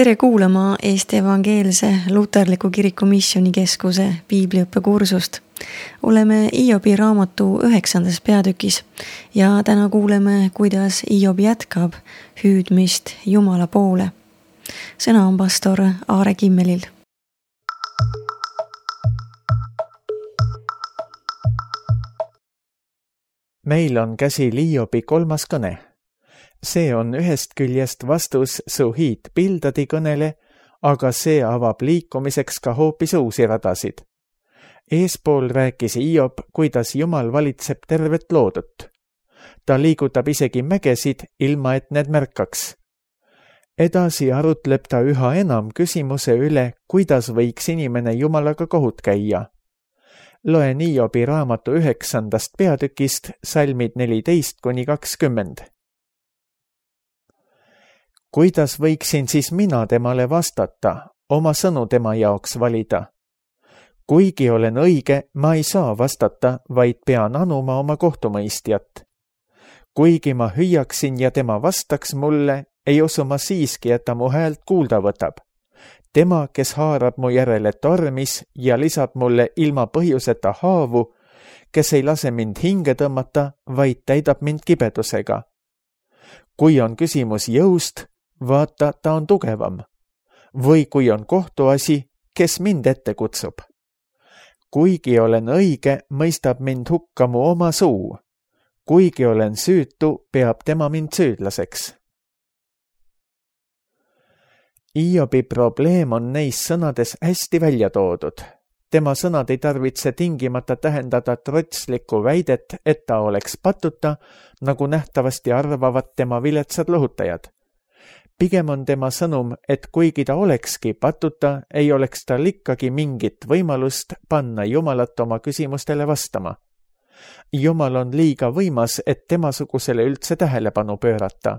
Tere kuulama Eesti Evangeelse Luterliku Kiriku Missioonikeskuse piibliõppekursust. Oleme Hiobi raamatu 9. peatükis ja täna kuuleme, kuidas Hiob jätkab hüüdmist Jumala poole. Sõna on pastor Aare Kimmelil. Meil on käsil Hiobi 3. kõne. See on ühest küljest vastus su hiidpildadi kõnele, aga see avab liikumiseks ka hoopis uusi radasid. Eespool rääkis Hiob, kuidas Jumal valitseb tervet loodut. Ta liigutab isegi mägesid, ilma et need märkaks. Edasi arutleb ta üha enam küsimuse üle, kuidas võiks inimene Jumalaga kohut käia. Loen Hiobi raamatu 9. peatükist salmid 14-20. Kuidas võiksin siis mina temale vastata, oma sõnu tema jaoks valida? Kuigi olen õige, ma ei saa vastata, vaid pean anuma oma kohtumõistjat. Kuigi ma hüüaksin ja tema vastaks mulle, ei usu ma siiski, et ta mu häält kuulda võtab. Tema, kes haarab mu järele tormis ja lisab mulle ilma põhjuseta haavu, kes ei lase mind hinge tõmmata, vaid täidab mind kibedusega. Kui on küsimus jõust, vaata, ta on tugevam. Või kui on kohtuasi, kes mind ette kutsub. Kuigi olen õige, mõistab mind hukka mu oma suu. Kuigi olen süütu, peab tema mind süüdlaseks. Hiobi probleem on neis sõnades hästi välja toodud. Tema sõnad ei tarvitse tingimata tähendada trotslikku väidet, et ta oleks patuta, nagu nähtavasti arvavad tema viletsad lohutajad. Pigem on tema sõnum, et kuigi ta olekski patuta, ei oleks tal ikkagi mingit võimalust panna Jumalat oma küsimustele vastama. Jumal on liiga võimas, et temasugusele üldse tähelepanu pöörata.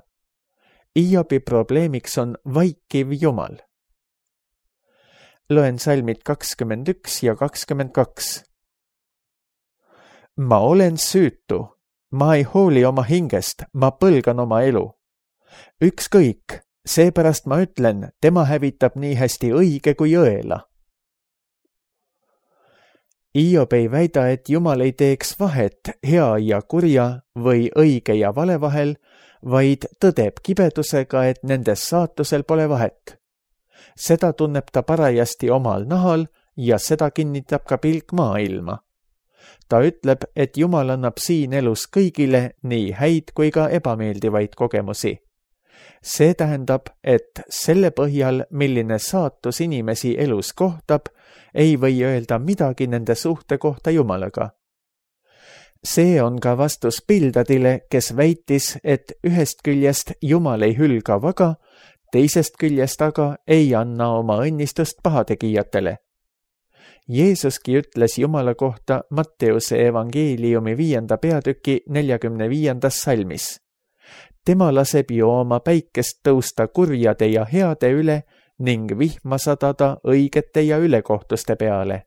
Hiobi probleemiks on vaikiv Jumal. Loen salmid 21 ja 22. Ma olen süütu, ma ei hooli oma hingest, ma põlgan oma elu. Ükskõik, seepärast ma ütlen, tema hävitab nii hästi õige kui õela. Hiob ei väida, et Jumal ei teeks vahet hea ja kurja või õige ja vale vahel, vaid tõdeb kibedusega, et nendes saatusel pole vahet. Seda tunneb ta parajasti omal nahal ja seda kinnitab ka pilk maailma. Ta ütleb, et Jumal annab siin elus kõigile nii häid kui ka ebameeldivaid kogemusi. See tähendab, et selle põhjal, milline saatus inimesi elus kohtab, ei või öelda midagi nende suhte kohta Jumalaga. See on ka vastus Pildadile, kes väitis, et ühest küljest Jumal ei hülga vaga, teisest küljest aga ei anna oma õnnistust pahategijatele. Jeesuski ütles Jumala kohta Matteuse evangeeliumi 5. peatüki 45. salmis. Tema laseb ju oma päikest tõusta kurjade ja heade üle ning vihma sadada õigete ja ülekohtuste peale.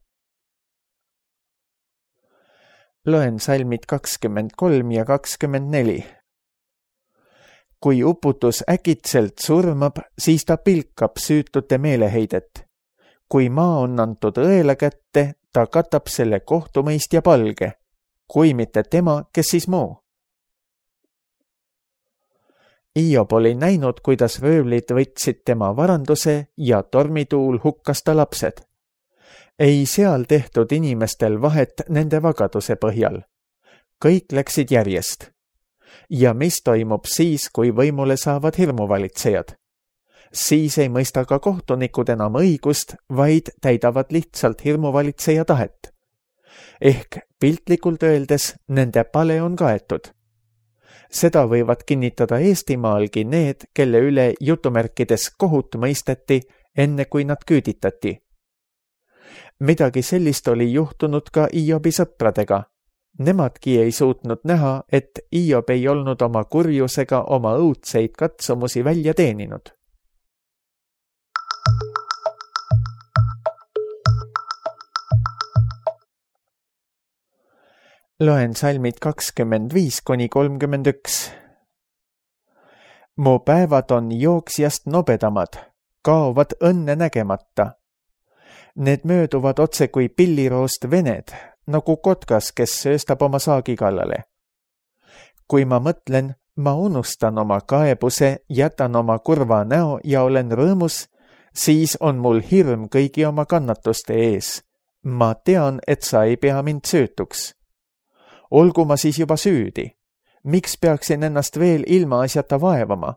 Loen salmid 23 ja 24. Kui uputus äkitselt surmab, siis ta pilkab süütute meeleheidet. Kui maa on antud õela kätte, ta katab selle kohtumõistja palge. Kui mitte tema, kes siis muu? Hiob oli näinud, kuidas röövlid võtsid tema varanduse ja tormituul hukkas ta lapsed. Ei seal tehtud inimestel vahet nende vagaduse põhjal. Kõik läksid järjest. Ja mis toimub siis, kui võimule saavad hirmuvalitsejad? Siis ei mõista ka kohtunikud enam õigust, vaid täidavad lihtsalt hirmuvalitseja tahet. Ehk piltlikult öeldes, nende pale on kaetud. Seda võivad kinnitada Eestimaalgi need, kelle üle jutumärkides kohut mõisteti, enne kui nad küüditati. Midagi sellist oli juhtunud ka Hiobi sõpradega. Nemadki ei suutnud näha, et Hiob ei olnud oma kurjusega oma õudseid katsumusi välja teeninud. Loen salmid 25-31. Mu päevad on jooksjast nobedamad, kaovad õnne nägemata. Need mööduvad otse kui pilliroost vened, nagu kotkas, kes sööstab oma saagi kallale. Kui ma mõtlen, ma unustan oma kaebuse, jätan oma kurva näo ja olen rõõmus, siis on mul hirm kõigi oma kannatuste ees. Ma tean, et sa ei pea mind süütuks. Olgu ma siis juba süüdi. Miks peaksin ennast veel ilmaasjata vaevama?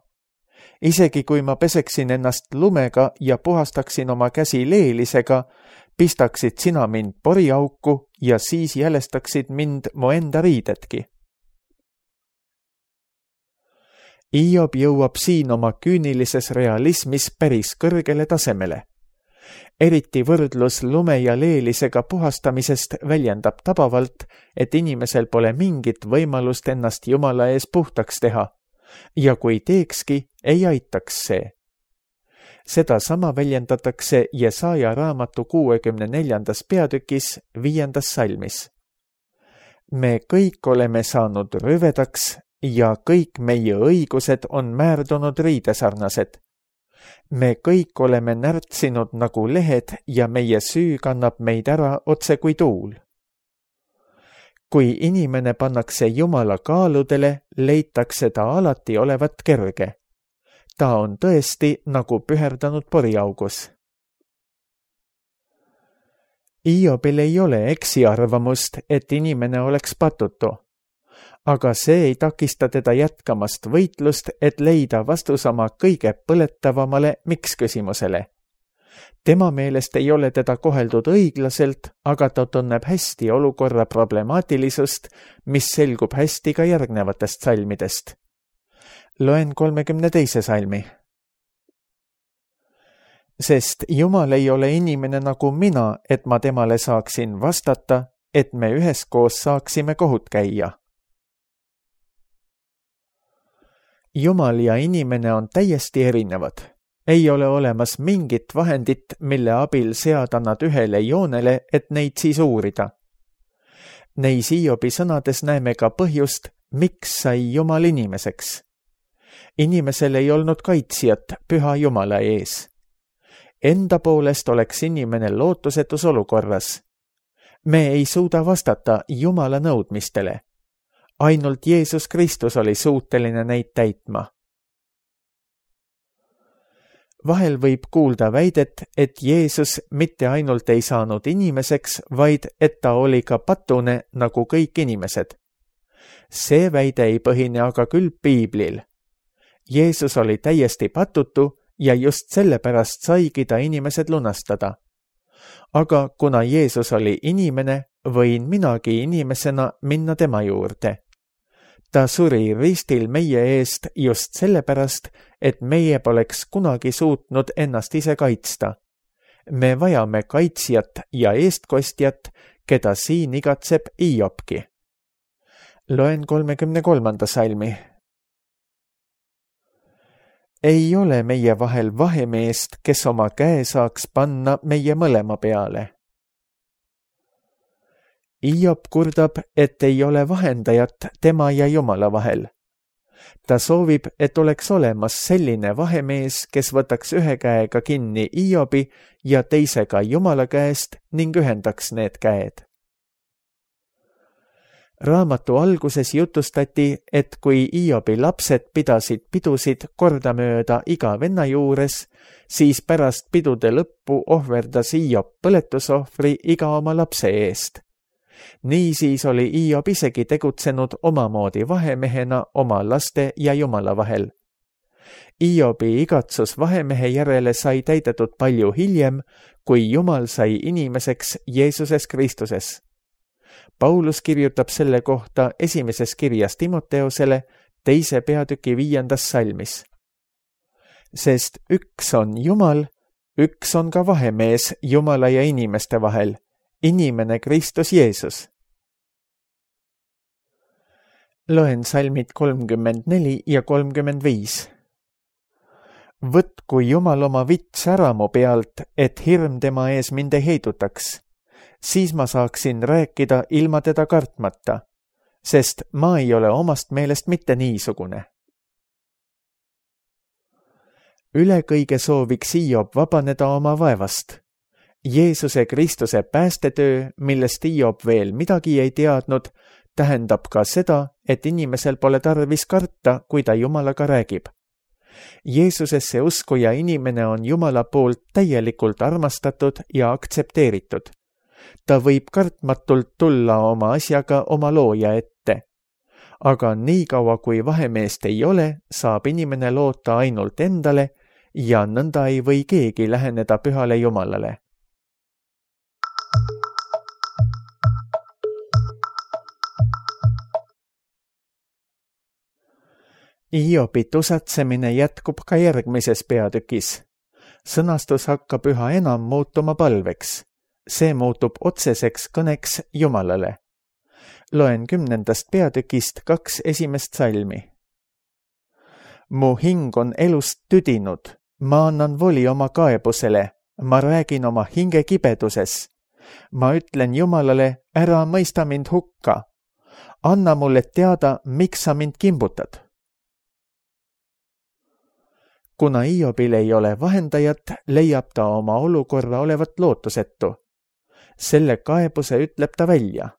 Isegi kui ma peseksin ennast lumega ja puhastaksin oma käsi leelisega, pistaksid sina mind poriauku ja siis jälestaksid mind mu enda riidetki. Hiob jõuab siin oma küünilises realismis päris kõrgele tasemele. Eriti võrdlus lume ja leelisega puhastamisest väljendab tabavalt, et inimesel pole mingit võimalust ennast Jumala ees puhtaks teha ja kui teekski, ei aitaks see. Seda sama väljendatakse Jesaja raamatu 64. peatükis 5. salmis. Me kõik oleme saanud rüvedaks ja kõik meie õigused on määrdunud riidesarnased. Me kõik oleme närtsinud nagu lehed ja meie süü kannab meid ära otse kui tuul. Kui inimene pannakse Jumala kaaludele, leitakse ta alati olevat kerge. Ta on tõesti nagu püherdanud poriaugus. Hiobil ei ole eksiarvamust, et inimene oleks patutu. Aga see ei takista teda jätkamast võitlust, et leida vastus oma kõige põletavamale miks-küsimusele. Tema meelest ei ole teda koheldud õiglaselt, aga ta tunneb hästi olukorra problemaatilisust, mis selgub hästi ka järgnevatest salmidest. Loen 32. salmi. Sest Jumal ei ole inimene nagu mina, et ma temale saaksin vastata, et me üheskoos saaksime kohut käia. Jumal ja inimene on täiesti erinevad. Ei ole olemas mingit vahendit, mille abil seada nad ühele joonele, et neid siis uurida. Neis Hiobi sõnades näeme ka põhjust, miks sai Jumal inimeseks. Inimesel ei olnud kaitsjat püha Jumala ees. Enda poolest oleks inimene lootusetus olukorras. Me ei suuda vastata Jumala nõudmistele. Ainult Jeesus Kristus oli suuteline neid täitma. Vahel võib kuulda väidet, et Jeesus mitte ainult ei saanud inimeseks, vaid et ta oli ka patune nagu kõik inimesed. See väide ei põhine aga küll piiblil. Jeesus oli täiesti patutu ja just sellepärast saigi ta inimesed lunastada. Aga kuna Jeesus oli inimene, võin minagi inimesena minna tema juurde. Ta suri ristil meie eest just sellepärast, et meie poleks kunagi suutnud ennast ise kaitsta. Me vajame kaitsjat ja eestkostjat, keda siin igatseb Hiobki. Loen 33. salmi. Ei ole meie vahel vahemeest, kes oma käe saaks panna meie mõlema peale. Hiob kurdab, et ei ole vahendajat tema ja Jumala vahel. Ta soovib, et oleks olemas selline vahemees, kes võtaks ühe käega kinni Hiobi ja teisega Jumala käest ning ühendaks need käed. Raamatu alguses jutustati, et kui Hiobi lapsed pidasid pidusid kordamööda iga venna juures, siis pärast pidude lõppu ohverdas Hiob põletusohvri iga oma lapse eest. Niisiis oli Hiob isegi tegutsenud omamoodi vahemehena oma laste ja Jumala vahel. Hiobi igatsus vahemehe järele sai täidetud palju hiljem, kui Jumal sai inimeseks Jeesuses Kristuses. Paulus kirjutab selle kohta esimeses kirjas Timoteosele 2. peatüki 5. salmis. Sest üks on Jumal, üks on ka vahemees Jumala ja inimeste vahel, inimene Kristus Jeesus. Loen salmid 34 ja 35. Võtku Jumal oma vits ära mu pealt, et hirm tema ees mind ei heidutaks. Siis ma saaksin rääkida ilma teda kartmata, sest ma ei ole omast meelest mitte niisugune. üle kõige sooviks Hiob vabaneda oma vaevast. Jeesuse Kristuse päästetöö, millest Hiob veel midagi ei teadnud, tähendab ka seda, et inimesel pole tarvis karta, kui ta Jumalaga räägib. Jeesusesse uskuja inimene on Jumala poolt täielikult armastatud ja aktsepteeritud. Ta võib kartmatult tulla oma asjaga oma looja ette. Aga niikaua kui vahemeest ei ole, saab inimene loota ainult endale ja nõnda ei või keegi läheneda pühale Jumalale. Hiobi tusatsemine jätkub ka järgmises peatükis. Sõnastus hakkab üha enam muutuma palveks. See muutub otseseks kõneks Jumalale. Loen 10. peatükist 2 esimest salmi. Mu hing on elust tüdinud, ma annan voli oma kaebusele, ma räägin oma hinge kibeduses. Ma ütlen Jumalale, ära mõista mind hukka. Anna mulle teada, miks sa mind kimbutad. Kuna Hiobil ei ole vahendajat, leiab ta oma olukorra olevat lootusetu. Selle kaebuse ütleb ta välja.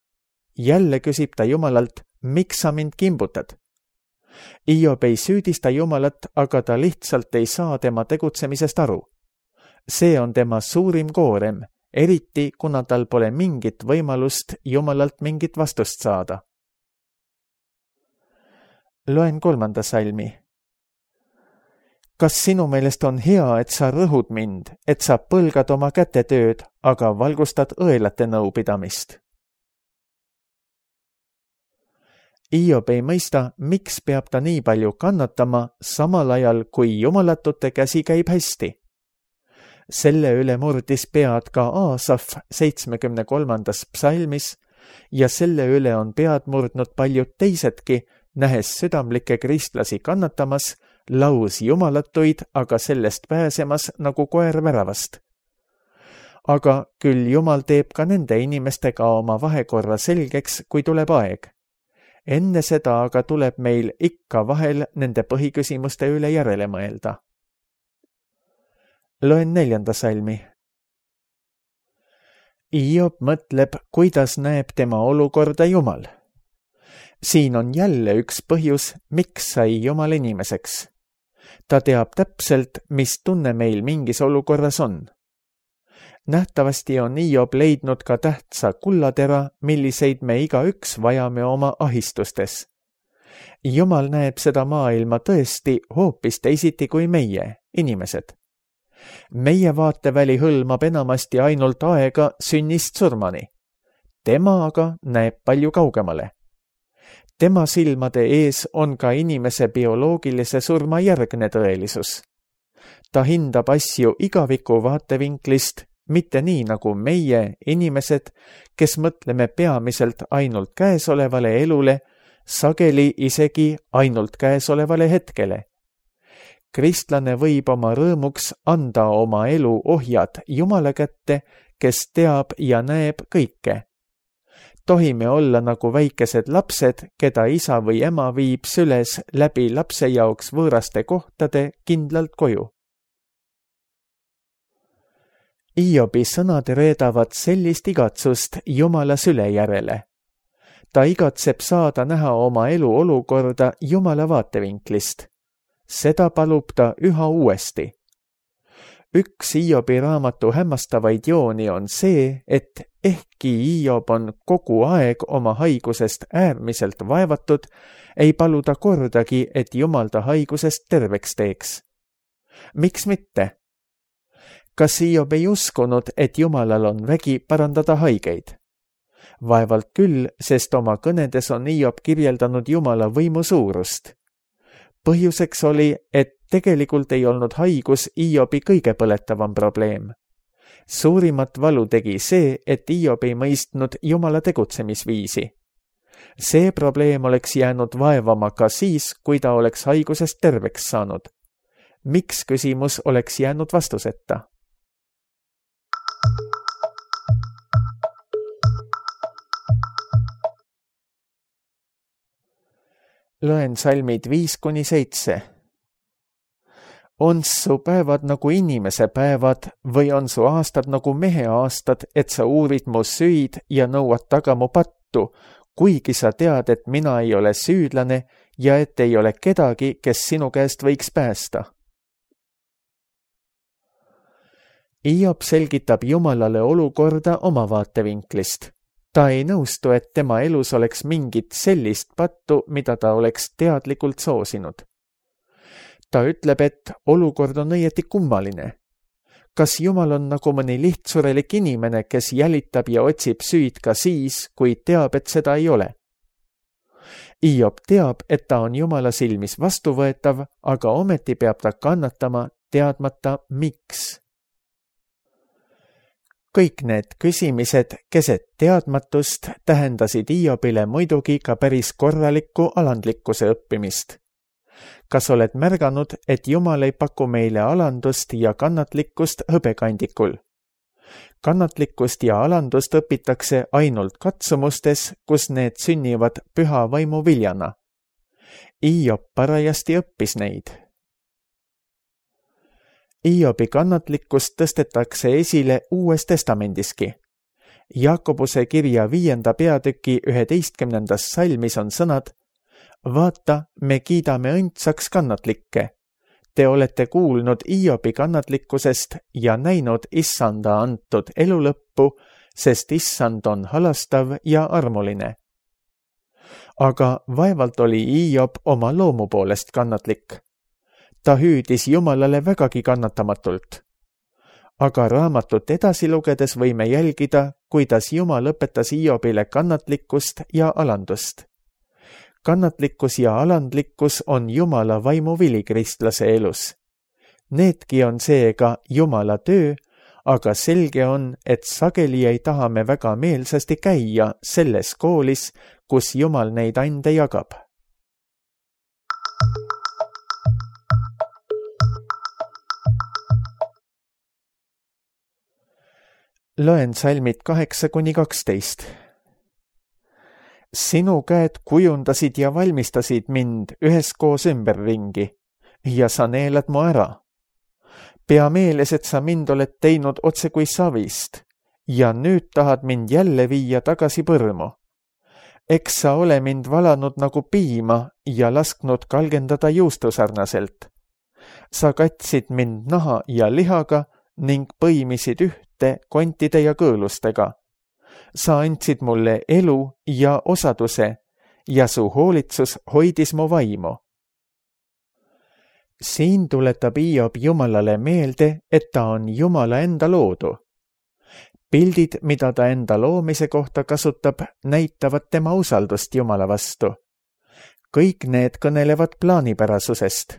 Jälle küsib ta Jumalalt, miks sa mind kimbutad? Hiob ei süüdista Jumalat, aga ta lihtsalt ei saa tema tegutsemisest aru. See on tema suurim koorem, eriti kuna tal pole mingit võimalust Jumalalt mingit vastust saada. Loen 3. salmi. Kas sinu meelest on hea, et sa rõhud mind, et sa põlgad oma kätetööd, aga valgustad õelate nõupidamist? Hiob ei mõista, miks peab ta nii palju kannatama, samal ajal kui jumalatute käsi käib hästi. Selle üle murdis pead ka Aasaf 73. psalmis ja selle üle on pead murdnud paljud teisedki, nähes südamlikke kristlasi kannatamas, laus jumalatuid, aga sellest pääsemas nagu koer väravast. Aga küll Jumal teeb ka nende inimestega oma vahekorra selgeks, kui tuleb aeg. Enne seda aga tuleb meil ikka vahel nende põhiküsimuste üle järele mõelda. Loen 4. salmi. Hiob mõtleb, kuidas näeb tema olukorda Jumal. Siin on jälle üks põhjus, miks sai Jumal inimeseks. Ta teab täpselt, mis tunne meil mingis olukorras on. Nähtavasti on Hiob leidnud ka tähtsa kullatera, milliseid me igaüks vajame oma ahistustes. Jumal näeb seda maailma tõesti hoopis teisiti kui meie, inimesed. Meie vaateväli hõlmab enamasti ainult aega sünnist surmani. Tema aga näeb palju kaugemale. Tema silmade ees on ka inimese bioloogilise surma järgne tõelisus. Ta hindab asju igaviku vaatevinklist, mitte nii nagu meie, inimesed, kes mõtleme peamiselt ainult käesolevale elule, sageli isegi ainult käesolevale hetkele. Kristlane võib oma rõõmuks anda oma elu ohjad Jumala kätte, kes teab ja näeb kõike. Tohime olla nagu väikesed lapsed, keda isa või ema viib süles läbi lapse jaoks võõraste kohtade kindlalt koju. Hiobi sõnad reedavad sellist igatsust Jumala süle järele. Ta igatseb saada näha oma elu olukorda Jumala vaatevinklist. Seda palub ta üha uuesti. Üks Hiobi raamatu hämmastavaid jooni on see, et ehkki Hiob on kogu aeg oma haigusest äärmiselt vaevatud, ei palu ta kordagi, et Jumal ta haigusest terveks teeks. Miks mitte? Kas Hiob ei uskunud, et Jumalal on vägi parandada haigeid? Vaevalt küll, sest oma kõnedes on Hiob kirjeldanud Jumala võimu suurust. Põhjuseks oli, et tegelikult ei olnud haigus Hiobi kõige põletavam probleem. Suurimat valu tegi see, et Hiob ei mõistnud Jumala tegutsemisviisi. See probleem oleks jäänud vaevama ka siis, kui ta oleks haigusest terveks saanud. Miks küsimus oleks jäänud vastuseta? Loen salmid 5-7. On su päevad nagu inimese päevad või on su aastad nagu mehe aastad, et sa uurid mu süid ja nõuad taga mu pattu, kuigi sa tead, et mina ei ole süüdlane ja et ei ole kedagi, kes sinu käest võiks päästa. Hiob selgitab Jumalale olukorda oma vaatevinklist. Ta ei nõustu, et tema elus oleks mingit sellist pattu, mida ta oleks teadlikult soosinud. Ta ütleb, et olukord on õieti kummaline. Kas Jumal on nagu mõni lihtsurelik inimene, kes jälitab ja otsib süüd ka siis, kui teab, et seda ei ole? Hiob teab, et ta on Jumala silmis vastuvõetav, aga ometi peab ta kannatama, teadmata miks. Kõik need küsimised keset teadmatust tähendasid Hiobile muidugi ka päris korralikku alandlikkuse õppimist. Kas oled märganud, et Jumal ei paku meile alandust ja kannatlikkust hõbekandikul? Kannatlikkust ja alandust õpitakse ainult katsumustes, kus need sünnivad püha vaimu viljana. Hiob parajasti õppis neid. Hiobi kannatlikkust tõstetakse esile Uues Testamendiski. Jaakobuse kirja 5. peatüki 11. salmis on sõnad: Vaata, me kiidame õndsaks kannatlikke. Te olete kuulnud Hiobi kannatlikkusest ja näinud Issanda antud elu lõppu, sest Issand on halastav ja armuline. Aga vaevalt oli Hiob oma loomu poolest kannatlik. Ta hüüdis Jumalale vägagi kannatamatult. Aga raamatut edasi lugedes võime jälgida, kuidas Jumal õpetas Hiobile kannatlikkust ja alandust. Kannatlikkus ja alandlikkus on Jumala vaimuvili kristlase elus. Needki on seega Jumala töö, aga selge on, et sageli ei taha me väga meelsasti käia selles koolis, kus Jumal neid ande jagab. Loen salmid 8-12. Sinu käed kujundasid ja valmistasid mind üheskoos ümberringi ja sa neelad mu ära. Pea meeles, et sa mind oled teinud otse kui savist ja nüüd tahad mind jälle viia tagasi põrmu. Eks sa ole mind valanud nagu piima ja lasknud kalgendada juustusarnaselt. Sa katsid mind naha ja lihaga ning põimisid ühte kontide ja kõõlustega. Sa andsid mulle elu ja osaduse ja su hoolitsus hoidis mu vaimu. Siin tuletab Hiob Jumalale meelde, et ta on Jumala enda loodu. Pildid, mida ta enda loomise kohta kasutab, näitavad tema usaldust Jumala vastu. Kõik need kõnelevad plaanipärasusest.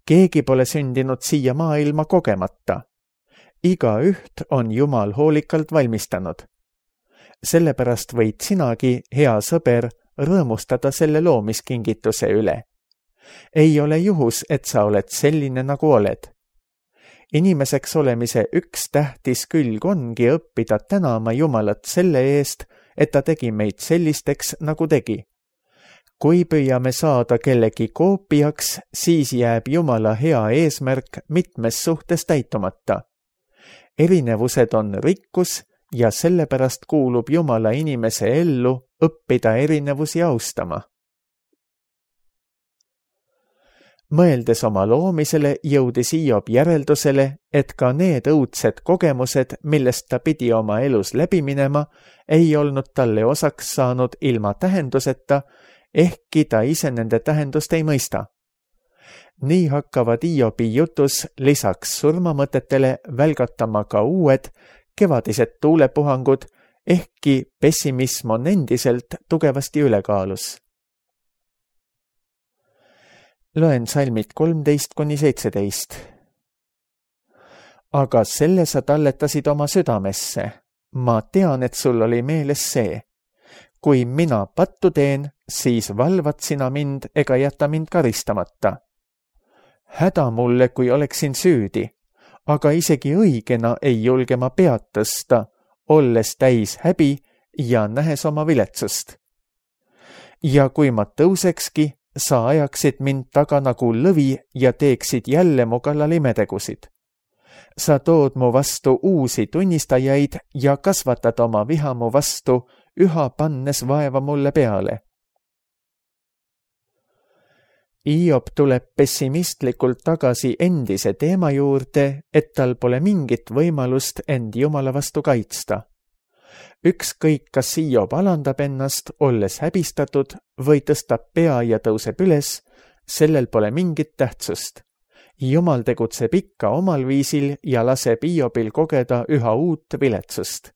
Keegi pole sündinud siia maailma kogemata. Igaüht on Jumal hoolikalt valmistanud. Sellepärast võid sinagi, hea sõber, rõõmustada selle loomiskingituse üle. Ei ole juhus, et sa oled selline, nagu oled. Inimeseks olemise üks tähtis külg ongi õppida tänama Jumalat selle eest, et ta tegi meid sellisteks, nagu tegi. Kui püüame saada kellegi koopiaks, siis jääb Jumala hea eesmärk mitmes suhtes täitumata. Erinevused on rikkus ja sellepärast kuulub Jumala inimese ellu õppida erinevusi austama. Mõeldes oma loomisele, jõudis Hiob järeldusele, et ka need õudsed kogemused, millest ta pidi oma elus läbi minema, ei olnud talle osaks saanud ilma tähenduseta, ehkki ta ise nende tähendust ei mõista. Nii hakkavad Hiobi jutus lisaks surmamõtetele välgatama ka uued, kevadised tuulepuhangud, ehkki pessimism on endiselt tugevasti ülekaalus. Loen salmid 13-17. Aga selle sa talletasid oma südamesse. Ma tean, et sul oli meeles see. Kui mina pattu teen, siis valvad sina mind ega jäta mind karistamata. Häda mulle, kui oleksin süüdi, aga isegi õigena ei julge ma pead tõsta, olles täis häbi ja nähes oma viletsust. Ja kui ma tõusekski, sa ajaksid mind taga nagu lõvi ja teeksid jälle mu kallal imetegusid. Sa tood mu vastu uusi tunnistajaid ja kasvatad oma viha mu vastu, üha pannes vaeva mulle peale. Hiob tuleb pessimistlikult tagasi endise teema juurde, et tal pole mingit võimalust end Jumala vastu kaitsta. Ükskõik, kas Hiob alandab ennast, olles häbistatud, või tõstab pea ja tõuseb üles, sellel pole mingit tähtsust. Jumal tegutseb ikka omal viisil ja laseb Hiobil kogeda üha uut viletsust.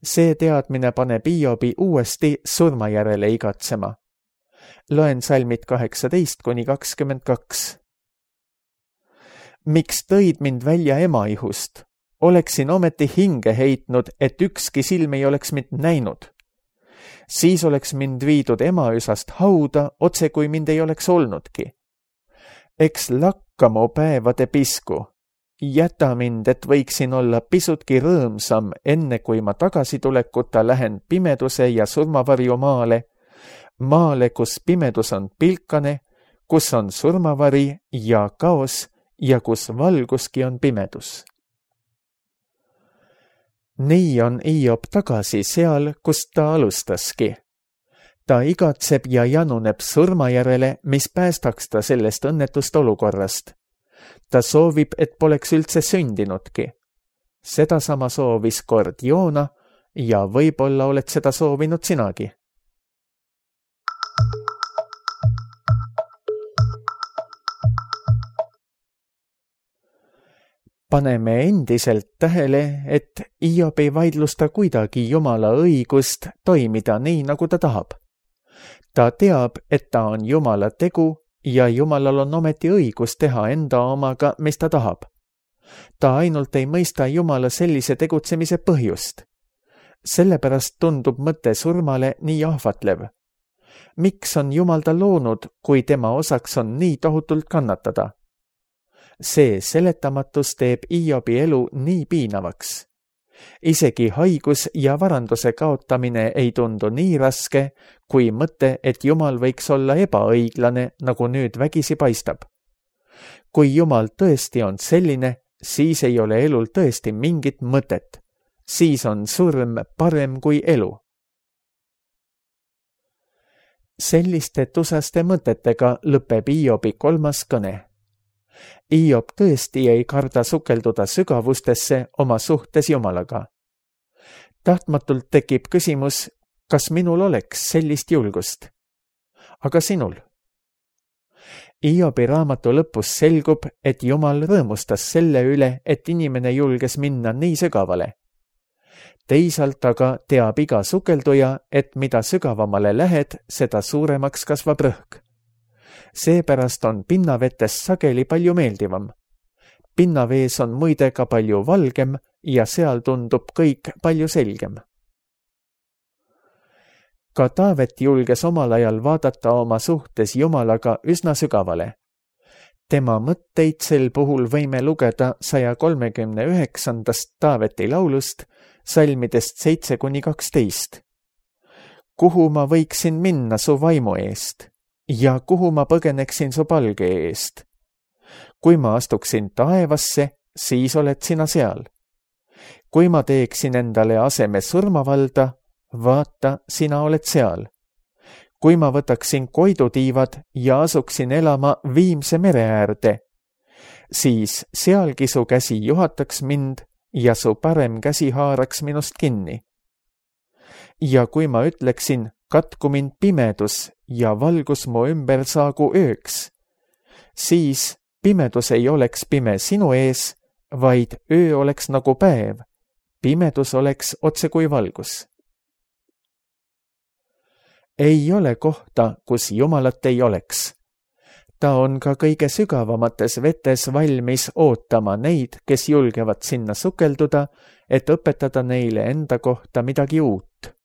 See teadmine paneb Hiobi uuesti surma järele igatsema. Loen salmid 18-22. Miks tõid mind välja emaihust? Oleksin ometi hinge heitnud, et ükski silm ei oleks mind näinud. Siis oleks mind viidud emaüsast hauda, otse kui mind ei oleks olnudki. Eks lakka mu päevade pisku. Jäta mind, et võiksin olla pisutki rõõmsam, enne kui ma tagasitulekuta lähen pimeduse ja surmavarju maale, kus pimedus on pilkane, kus on surmavari ja kaos ja kus valguski on pimedus. Nii on Hiob tagasi seal, kust ta alustaski. Ta igatseb ja januneb surma järele, mis päästaks ta sellest õnnetust olukorrast. Ta soovib, et poleks üldse sündinudki. Sedasama soovis kord Joona ja võib-olla oled seda soovinud sinagi. Paneme endiselt tähele, et Hiob ei vaidlusta kuidagi Jumala õigust toimida nii, nagu ta tahab. Ta teab, et ta on Jumala tegu ja Jumalal on ometi õigus teha enda omaga, mis ta tahab. Ta ainult ei mõista Jumala sellise tegutsemise põhjust. Sellepärast tundub mõte surmale nii ahvatlev. Miks on Jumal ta loonud, kui tema osaks on nii tohutult kannatada? See seletamatus teeb Hiobi elu nii piinavaks. Isegi haigus ja varanduse kaotamine ei tundu nii raske, kui mõte, et Jumal võiks olla ebaõiglane, nagu nüüd vägisi paistab. Kui Jumal tõesti on selline, siis ei ole elul tõesti mingit mõtet. Siis on surm parem kui elu. Selliste tusaste mõtetega lõpeb Hiobi 3. kõne. Hiob tõesti ei karda sukelduda sügavustesse oma suhtes Jumalaga. Tahtmatult tekib küsimus, kas minul oleks sellist julgust? Aga sinul? Hiobi raamatu lõpus selgub, et Jumal rõõmustas selle üle, et inimene julges minna nii sügavale. Teisalt aga teab iga sukelduja, et mida sügavamale lähed, seda suuremaks kasvab rõhk. Seepärast on pinnavetes sageli palju meeldivam. Pinnavees on muide ka palju valgem ja seal tundub kõik palju selgem. Ka Taavet julges omal ajal vaadata oma suhtes Jumalaga üsna sügavale. Tema mõtteid sel puhul võime lugeda 139. Taaveti laulust, salmidest 7-12. Kuhu ma võiksin minna su vaimu eest? Ja kuhu ma põgeneksin su palge eest? Kui ma astuksin taevasse, siis oled sina seal. Kui ma teeksin endale aseme surmavalda, vaata, sina oled seal. Kui ma võtaksin koidutiivad ja asuksin elama Viimse mere äärde, siis sealgi su käsi juhataks mind ja su parem käsi haaraks minust kinni. Ja kui ma ütleksin, katku mind pimedus ja valgus mu ümber saagu ööks, siis pimedus ei oleks pime sinu ees, vaid öö oleks nagu päev, pimedus oleks otse kui valgus. Ei ole kohta, kus Jumalat ei oleks. Ta on ka kõige sügavamates vetes valmis ootama neid, kes julgevad sinna sukelduda, et õpetada neile enda kohta midagi uut.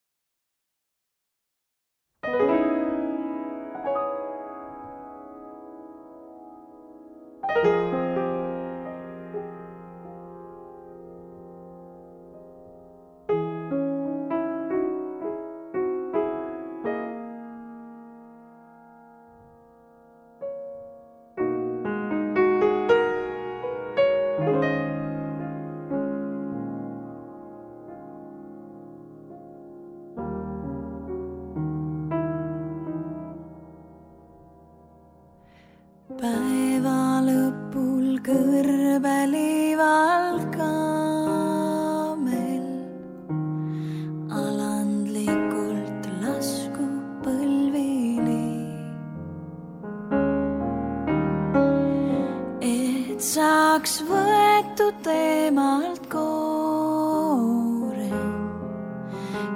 saaks võetud teemalt koore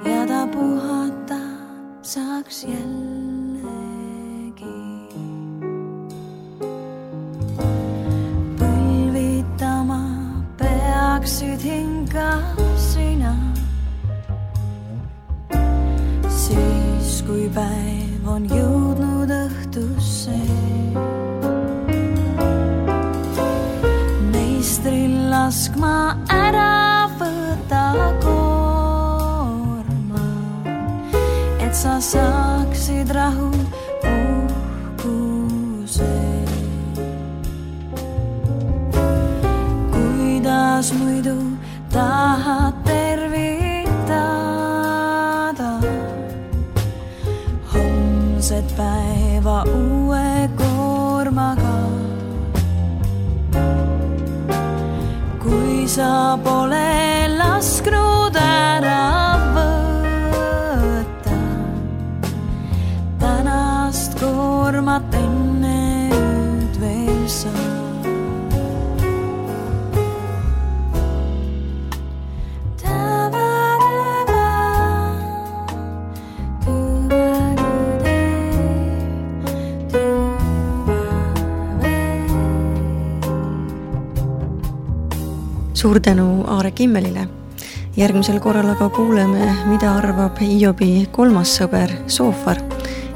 ja ta puhata saaks jällegi. Põlvitama peaksid hinga sina, siis kui päev on jõudnud õhtusse. Meistril laskma ära võta koorma, et sa saaksid rahu puhkuse. Kuidas muidu tahad tervitada homset päeva uue koormaga, kui sa pole lasknud ära võtta tänast koormat enne ööd veel sa. Suur tänu Aare Kimmelile. Järgmisel korral aga kuuleme, mida arvab Hiobi kolmas sõber Soofar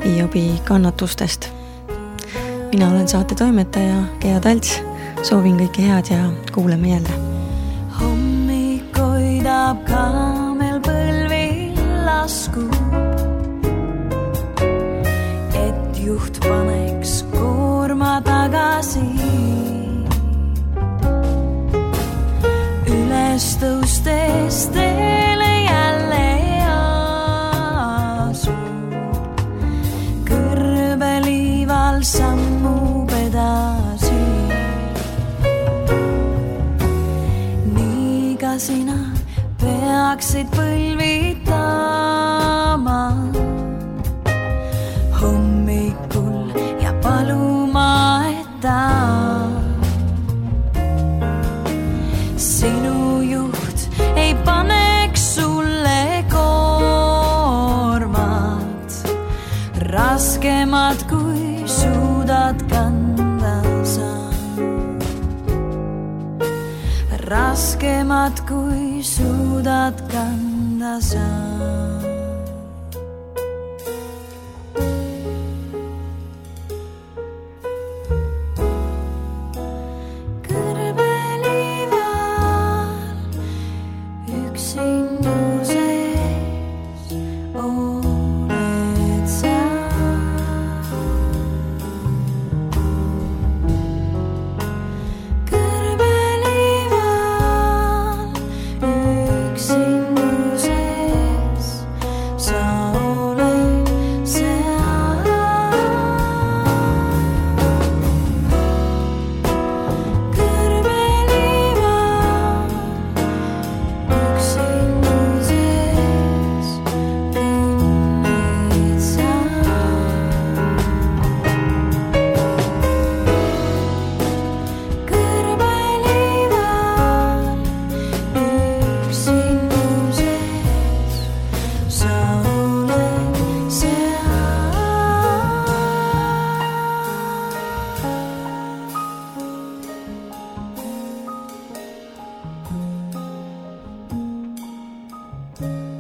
Hiobi kannatustest. Mina olen saate toimetaja Gea Talts. Soovin kõike head ja kuuleme jälle. Hommik hoidab kaamel põlvil laskub, et juht paneks koorma tagasi. Üles tõustes teele jälle asub, kõrbeliival sammub edasi. Nii ka sina peaksid põlvitama hommikul ja paluma, et ta sinu juht ei paneks sulle koormat raskemat, kui suudad kanda sa. Raskemat, kui suudad kanda sa. you.